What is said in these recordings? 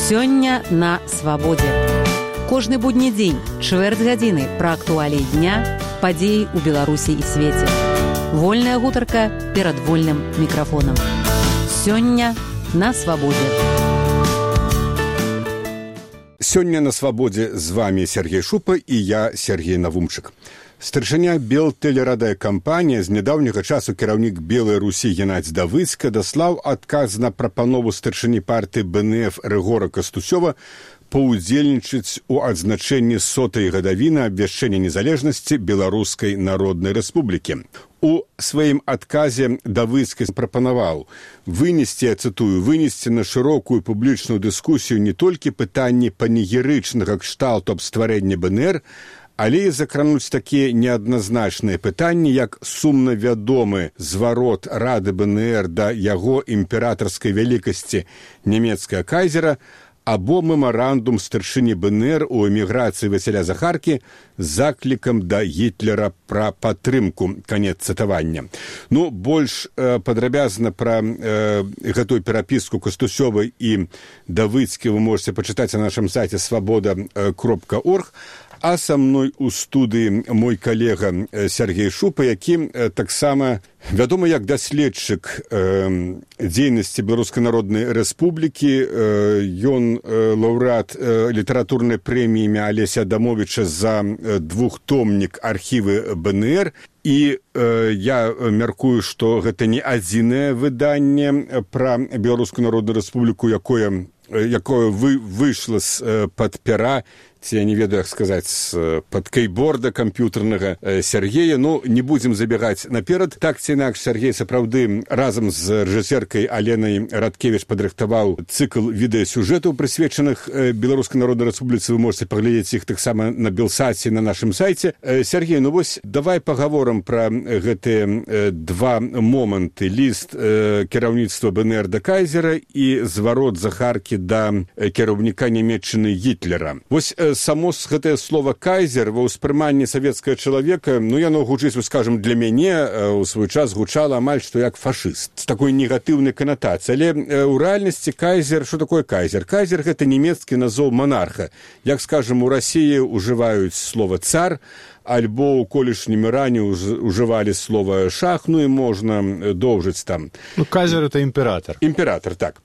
Сёння на свабодзе. Кожны будні дзень, чвэрць гадзіны пра актуаліі дня, падзеі ў Беларусі і свеце. Вольная гутарка перад вольным мікрафонам. Сёння на свабодзе. Сёння на свабодзе з вами Сергей Шупа і я, Сергей Навумчык. Старшыня Белтэлерадыёкампанія, з нядаўняга часу кіраўнік Белай Русі Геннадзь Давыцка даслаў адказ на прапанову старшыні партыі БНФ Рыгора Кастусёва паўдзельнічаць у адзначэнні 100-й гадавіны абвяшчэння незалежнасці Беларускай Народнай Рэспублікі. У сваім адказе Давыцкі прапанаваў вынесці, я цытую, вынесці на шырокую публічную дыскусію не толькі пытанні панегірычнага кшталту аб стварэнні БНР, але і закрануць такія неадназначныя пытанні, як сумна вядомы зварот Рады БНР да яго імператарскай вялікасці нямецкага кайзера, або мемарандум старшыні БНР у эміграцыі Васіля Захаркі з заклікам да Гітлера пра падтрымку. Канец цытавання. Больш падрабязна пра гэтую перапіску Кастусёвай і Давыцкі вы можете пачытаць на нашым сайце свабода.орг. А са мной у студыі мой калега Сергей Шупа, які таксама вядомы як даследчык дзейнасці Беларускай Народнай Рэспублікі. Ён лаўрэат літаратурнай прэміі імя Алеся Адамовіча за двухтомнік архівы БНР. І я мяркую, што гэта не адзінае выданне пра Беларускую Народную Рэспубліку, якое выйшла з-пад пера, ці я не ведаю, як сказаць, з-пад кейборда камп'ютарнага Сергея. Не будзем забегаць наперад. Так ці інакш, Сергей сапраўды разам з рэжысеркай Аленай Радкевіч падрыхтаваў цыкл відэасюжэтаў, прысвечаных Беларускай Народнай Рэспубліцы. Вы можете паглядзець іх таксама на Белсаце, на нашым сайце. Сергей, давай пагаворам пра гэтыя два моманты. Ліст кіраўніцтва БНР да кайзера і зварот Захаркі да кіраўніка Нямецчыны Гітлера. Само гэтае слова «кайзер» ва ўспрыманні савецкага чалавека, яно гучыць, скажам, для мяне ў свой час гучала амаль што як фашыст, з такой негатыўнай канатацыяй. Але ў рэальнасці кайзер, што такое кайзер? Кайзер – гэта нямецкі назоў монарха. Як, скажам, у Расіі ўжываюць слова «цар», альбо ў колішнім Іране ўжывалі слова «шах», і можна доўжыць там. Кайзер – это імператар. Імператар, так.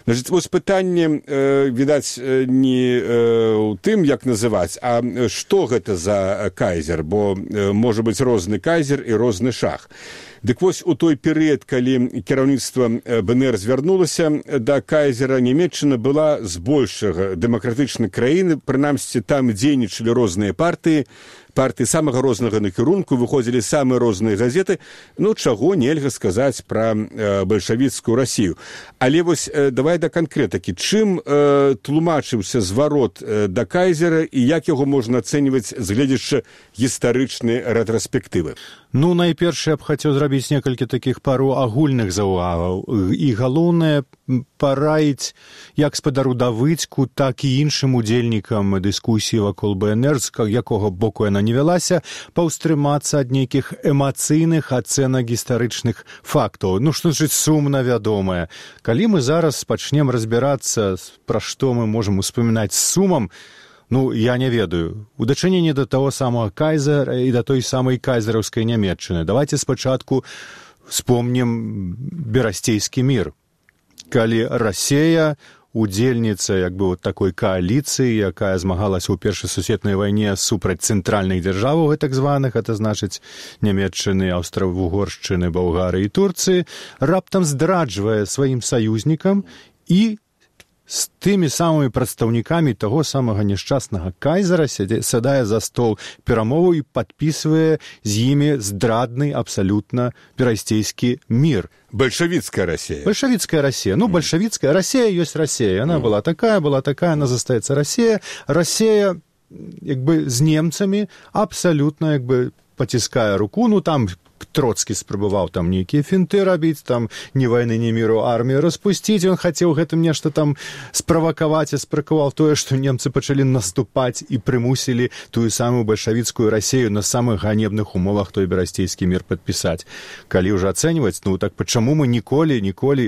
Вось пытанне, відаць, не ў тым, як называць, а што гэта за кайзер, бо можа быць розны кайзер і розны шах. Дык вось у той перыяд, калі кіраўніцтва БНР звярнулася да кайзера, Нямецчына была збольшага дэмакратычнай краіны, прынамсі там дзейнічалі розныя партыі самага рознага накірунку, выходзілі самыя розныя газеты, чаго нельга сказаць пра бальшавіцкую Расію. Але вось давай да канкрэтыкі. Чым тлумачыўся зварот да кайзера і як яго можна ацэньваць з гледзячы гістарычнай рэтраспектывы? Найперш я б хацеў зрабіць некалькі такіх пару агульных заўвагаў. І галоўнае параіць як спадару Давыцку, так і іншым удзельнікам дыскусіі вакол БНР, з якога боку яна не вялася, паўстрымацца ад нейкіх эмацыйных ацэнак гістарычных фактаў. Што значыць сумна вядомае? Калі мы зараз пачнем разбірацца, пра што мы можам успамінаць з сумам, я не ведаю. У дачыненні да таго самага кайзера і да той самай кайзераўскай Нямецчыны. Давайте спачатку вспомнім Берасцейскі мір. Калі Расія, удзельніца такой кааліцыі, якая змагалася ў Першай сусветнай вайне супраць цэнтральных дзяржаваў, так званых, это значыць Нямецчыны, Аўстра-Вугоршчыны, Балгарыі і Турцыі, раптам здраджвае сваім саюзнікам і з тымі самымі прадстаўнікамі таго самага няшчаснага кайзера сядае за стол перамоваў і падпісвае з імі здрадны абсалютна Берасцейскі мір. Бальшавіцкая Расія. Бальшавіцкая Расія. Бальшавіцкая Расія ёсць Расія. Яна была такая, она застаецца Расія. Расія з немцамі абсалютна паціскае руку. Там Троцкі спрабаваў там нейкія фінты рабіць, там ні вайны, ні міру, армію распусціць, ён хацеў гэтым нешта там справакаваць, і спракаваў тое, што немцы пачалі наступаць і прымусілі тую самую бальшавіцкую Расею на самых ганебных умовах той берасцейскі мір падпісаць. Калі ўжо ацэньваць, ну так чаму мы ніколі,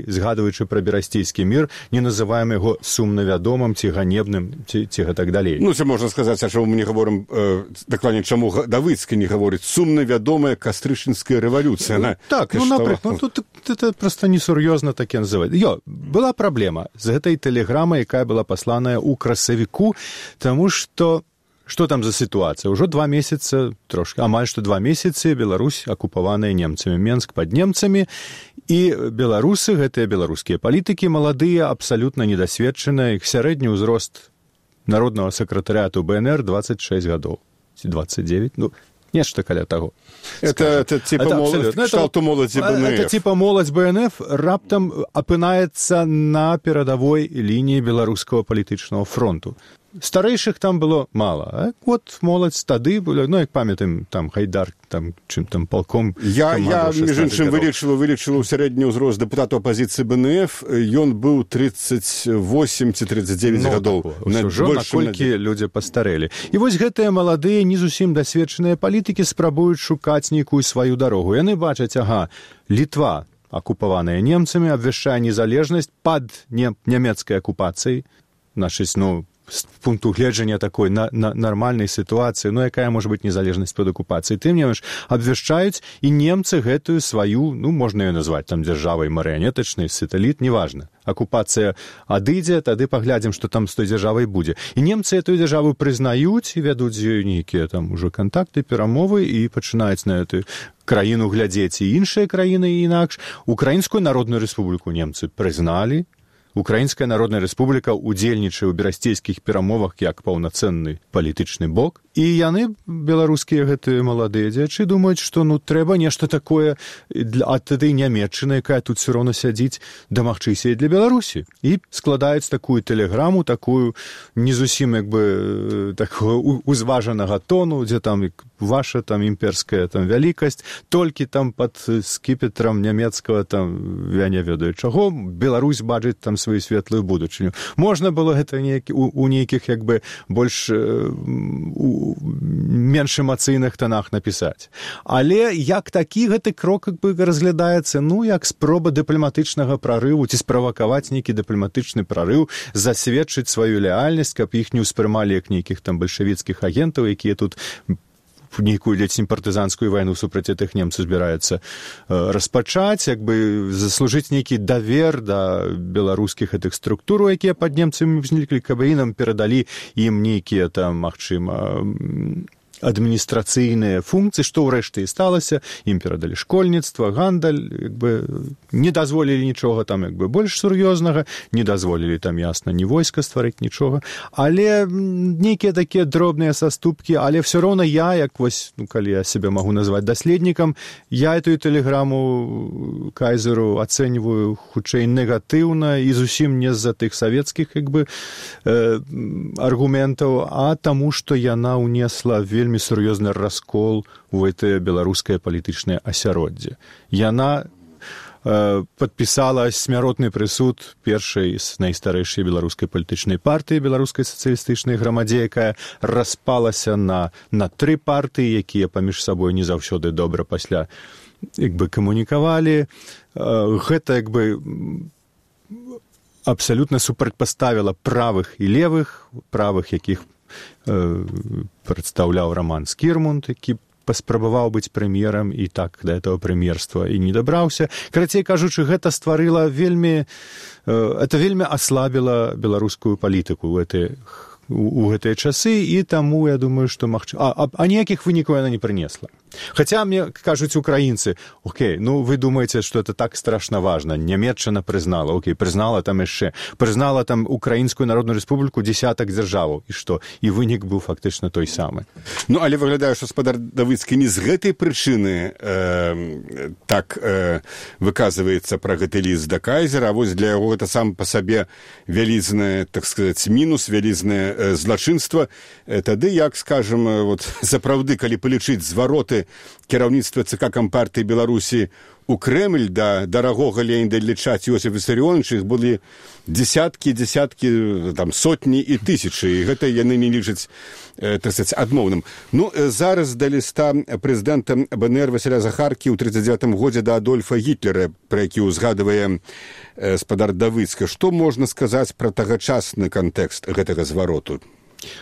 згадваючы пра берасцейскі мір, не называем яго сумна вядомым ці ганебным, ці гэтак далей. Ну, це можна сказаць, а чаму мы не гаворым, дакладней, чаму Давыцкі не гаворыць сумна вядомая кастрычніцкая революция. Так, ну, например, тут это просто несур'ёзна так і называць. Была праблема з гэтай тэлеграмай, якая была пасланая ў красавіку, таму што там за сітуацыя? Ужо 2 месяцы, амаль што 2 месяцы Беларусь акупаваная немцамі, Менск пад немцамі, і беларусы, гэтыя беларускія палітыкі, маладыя, абсалютна недасведчаныя, іх сярэдні ўзрост народнага сакратарыяту БНР 26 гадоў, 29, ну, нешта каля таго. Это типа моладзь БНФ. Это типа моладзь БНФ раптам апынаецца на перадавой лініі беларускага палітычнага фронту. Старэйшых там было мала. Вот моладзь тады было, ну, як памятаем, там Гайдар, там, чым там полком. Я між іншым, вылічыла ў сярэдні ўзрост дэпутату апазіцыі БНФ, ён быў 38 ці 39 гадоў. Ўжо наколькі людзі пастарэлі. І вось гэтыя маладыя, не зусім дасведчаныя палітыкі спрабуюць шукаць нейкую сваю дарогу. Яны бачаць, Літва, акупаваная немцамі, абвяшчае незалежнасць пад нямецкай акупацыяй, значыць, з пункту гледжання такой нармальнай сітуацыі, якая можа быць незалежнасць пад акупацыяй. Тым не менш, абвяшчаюць, і немцы гэтую сваю, можна ее назваць там дзяржавай марыянетачнай, сатэліт, неважна. Акупацыя адыдзе, тады паглядзім, што там з той дзяржавай будзе. І немцы эту дзяржаву прызнаюць і вядуць з ёй нейкія там ужо кантакты, перамовы і пачынаюць на эту краіну глядзець і іншыя краіны і інакш. Украінскую народную рэспубліку немцы прызналі. Украінская народная рэспубліка ўдзельнічае ў берасцейскіх перамовах як паўнацэнны палітычны бок. І яны, беларускія гэтыя маладыя дзячы, думаюць, што трэба нешта такое ад этой нямецчыны, якая тут все роўна сядзіць, дамагчыся і для Беларусі. І складаюць такую тэлеграму, такую не зусім такого узважанага тону, дзе там ваша там імперская там вялікасць, толькі там пад скіпетрам нямецкага там, я не ведаю чаго, Беларусь бачыць там сваю светлую будучыню. Можна было гэта у нейкіх больш менш эмацыйных тонах напісаць. Але як такі гэты крок разглядаецца, як спроба дыпламатычнага прарыву ці справакаваць нейкі дыпламатычны прарыў, засведчыць сваю леальнасць, каб іх не ўспрымалі як нейкіх там бальшавіцкіх агентаў, якія тут нейкую партызанскую вайну супраць гэтых немцаў збіраюцца распачаць, заслужыць нейкі давер да беларускіх гэтых структур, якія пад немцамі ўзніклі, каб ім перадалі ім нейкія там, магчыма, адміністрацыйныя функцыі, што ўрэшце і сталася, ім перадалі школьніцтва, гандаль, не дазволілі нічога там больш сур'ёзнага, не дазволілі там, ясна, ні войска стварыць, нічога, але нейкія такія дробныя саступкі, але все роўна я, калі я себе магу назваць даследнікам, я эту тэлеграму кайзеру ацэньваю хутчэй негатыўна і зусім не з-за тых савецкіх аргументаў, а таму, што яна ўнесла вельмі сур'ёзны раскол у гэтае беларускае палітычнае асяроддзе. Яна падпісала смяротны прысуд першай з найстарэйшай беларускай палітычнай партыі, беларускай сацыялістычнай грамадзе, якая распалася на 3 партыі, якія паміж сабой не заўсёды добра пасля камунікавалі. Гэта абсалютна супрацьпаставіла правых і левых, правых, якіх прадстаўляў Роман Скірмунд, які паспрабаваў быць прэм'ерам і так да этого прэм'ерства і не дабраўся. Карацей кажучы, гэта стварыла вельмі аслабіла беларускую палітыку у гэтыя часы, і таму я думаю, што магчыма, а ніякіх вынікаў яна не прынесла. Хаця мне кажуць украінцы, вы думаеце, што это так страшна важна, нямецчына прызнала, прызнала там яшчэ, прызнала там Украінскую народную рэспубліку дзесятак дзяржаваў, і што? І вынік быў фактычна той самы. Але выглядае, што спадар Давыцкі не з гэтай прычыны так выказваецца пра гэты ліст да кайзера, а вось для яго гэта сам па сабе вялізнае, так сказаць, мінус, вялізнае злачынства. Тады, як, скажам, сапраўды, калі палічыць звароты прыслалі кіраўніцтва ЦК Кампартыі Беларусі у Крэмль да дарагога Леаніда Ілліча Іосіфа Вісарыёновича, іх былі дзесяткі, там, сотні і тысячы, і гэта яны не лічаць, так сказать, адмоўным. Ну, зараз да ліста прэзідэнта БНР Васіля Захаркі ў 39-м годзе да Адольфа Гітлера, пра які ўзгадвае спадар Давыцка. Што можна сказаць пра тагачасны кантэкст гэтага звароту?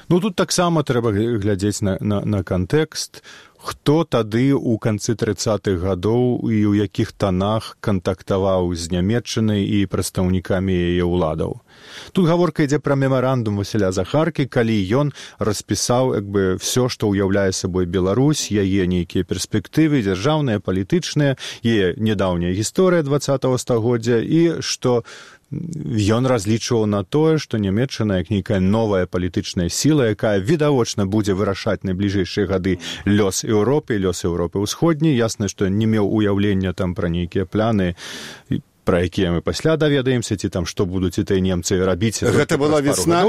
Ну, тут таксама трэба глядзець на кантэкст, хто тады ў канцы 30-х гадоў і ў якіх танах кантактаваў з Нямецчынай і прадстаўнікамі яе ўладаў. Тут гаворка ідзе пра мемарандум Васіля Захаркі, калі ён распісаў все, што ўяўляе сабой Беларусь, яе нейкія перспектывы, дзяржаўныя, палітычныя, яе нядаўняя гісторыя 20-го стагоддзя, і што ён разлічваў на тое, што Нямецчына, як нейкая новая палітычная сіла, якая відавочна будзе вырашаць найбліжэйшыя гады лёс Еўропы, лёс Еўропы ўсходняй. Ясна, што не меў уяўлення там пра нейкія пляны, пра якія мы пасля даведаемся, ці там што будуць і тыя немцы рабіць. Гэта была весна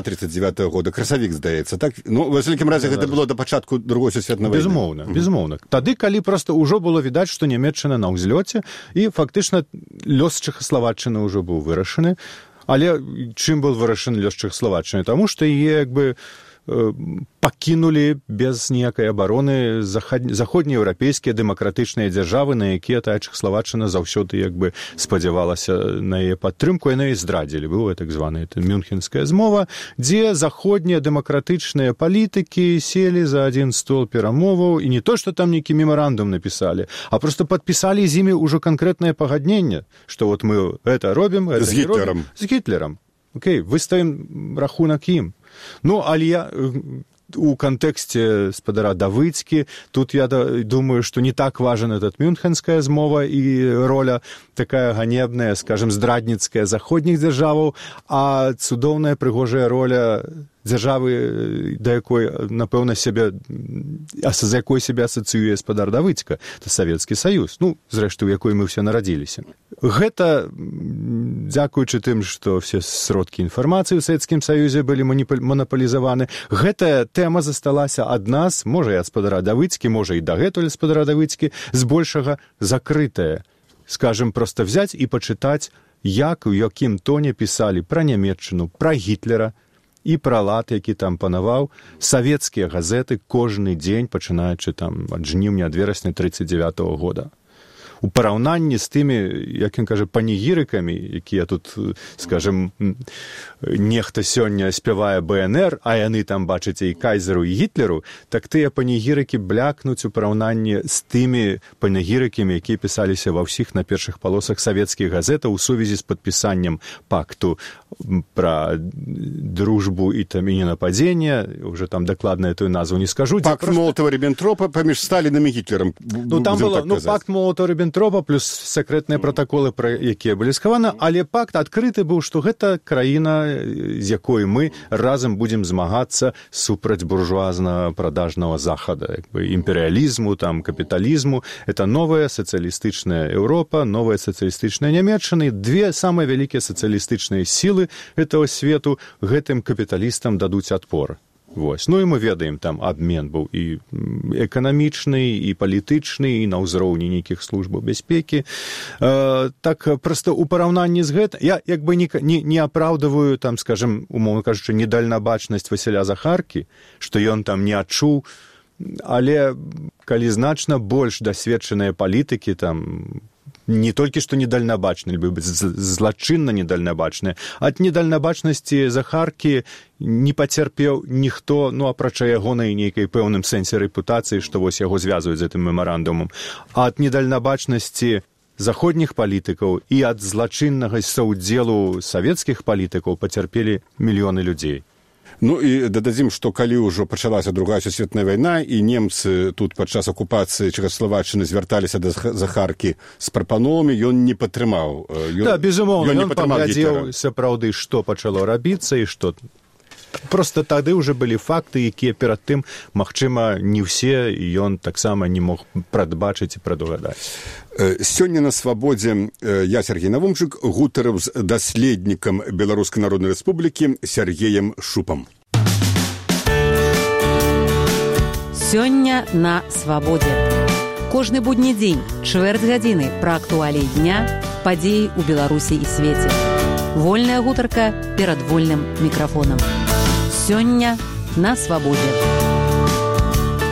39-го года, красавік, здаецца, так? Ну, ва ўсякім разе, гэта было да пачатку Другой сусветнай вайны. Безумоўна. Тады, калі проста ўжо было відаць, што Нямецчына на ўзлёце, і фактычна лёс Чэхаславаччыны ўжо быў вырашаны. Але чым быў вырашаны лёс Чэхаславаччыны? Таму што яе пакінулі без ніякай абароны заходнееўрапейскія дэмакратычныя дзяржавы, на якія тая Чэхаславаччына заўсёды спадзявалася на яе падтрымку, яны і здрадзілі. Была так званая Мюнхенская змова, дзе заходнія дэмакратычныя палітыкі селі за адзін стол перамоваў, і не то, што там нейкі мемарандум напісалі, а проста падпісалі з імі ўжо канкрэтнае пагадненне, што вот мы гэта робім, гэта не робім. З Гітлерам. Окей, выставім рахунак ім. Ну, але у кантэксце спадара Давыцкі, тут я думаю, што не так важен этот Мюнхенская змова і роля такая ганебная, скажем, здрадніцкая заходніх дзяржаваў, а цудоўная прыгожая роля дзяржавы, да якой, напэўна, за якой сябе асацыюе спадар Давыцка, это Савецкі Саюз, ну, зрэшты, у якой мы ўсе нарадзіліся. Гэта, дзякуючы тым, што все сродкі інфармацыі ў Савецкім Саюзе былі манапалізаваны, гэтая тэма засталася ад нас, можа і ад спадара Давыцкі, можа і дагэтуль спадара Давыцкі, збольшага закрытая. Скажем, проста взяць і пачытаць, як, у якім тоне пісалі пра Нямецчыну, пра Гітлера, і пра лад, які там панаваў, савецкія газеты кожны дзень, пачынаючы там ад жніўня, ад верасня 39-го года. У параўнанні з тымі, як ён кажа, панегірыкамі, якія тут, скажем, нехта сёння спявае БНР, а яны там, бачыце, і Кайзеру, і Гітлеру, так тыя панегірыкі блякнуць у параўнанні з тымі панегірыкамі, якія пісаліся ва ўсіх на першых палосах савецкіх газетаў у сувязі з падпісаннем пакту пра дружбу і там і ненападзення, уже там дакладна эту назву не скажу. Пакт Молотава-Ріббентропа паміж Сталінам і Гітлерам. Ну, там было, пакт Молотава-Ріббентропа плюс сакрэтныя пратаколы, пра якія былі схаваны, але пакт адкрыты быў, што гэта краіна, з якой мы разам будзем змагацца супраць буржуазна-прадажнага захада, імперыялізму, там, капіталізму. Это новая сацыялістычная Еўропа, новая сацыялістычная Нямецчына, две самыя вялікія сацыялістычныя сілы этого свету гэтым капіталістам дадуць адпор. Вось. Ну і мы ведаем, там абмен быў і эканамічны, і палітычны, і на ўзроўні нейкіх службаў бяспекі. Так, проста ў параўнанні з гэтым, я не апраўдываю, там, скажем, умоўна кажучы, недальнабачнасць Васіля Захаркі, што ён там не адчуў, але калі значна больш дасведчаныя палітыкі, там, не толькі што недальнабачныя, злачынна недальнабачныя, ад недальнабачнасці Захаркі не пацярпеў ніхто, ну, апрача ягонай нейкай пэўным сэнсе рэпутацыі, што вось яго звязваюць з гэтым мемарандумам, а ад недальнабачнасці заходніх палітыкаў і ад злачыннага саўдзелу савецкіх палітыкаў пацярпелі мільёны людзей. Ну і дададзім, што калі ўжо пачалася Другая сусветная вайна, і немцы тут падчас акупацыі Чэхаславаччыны звярталіся да Захаркі з прапановамі, ён не падтрымаў. Да, безумоўна, ён паглядзеў сапраўды, што пачало рабіцца і што. Проста тады ўжо былі факты, якія перад тым, магчыма, не ўсе, і ён таксама не мог прадбачыць і прадугадаць. Сёння на свабодзе я, Сергей Навумчык, гутарыў з даследнікам Беларускай Народнай Рэспублікі Сергеем Шупам. Сёння на свабодзе. Кожны будні дзень, чвэрць гадзіны пра актуаліі дня, падзеі ў Беларусі і свеце. Вольная гутарка перад вольным мікрафонам. Сёння на свабодзе.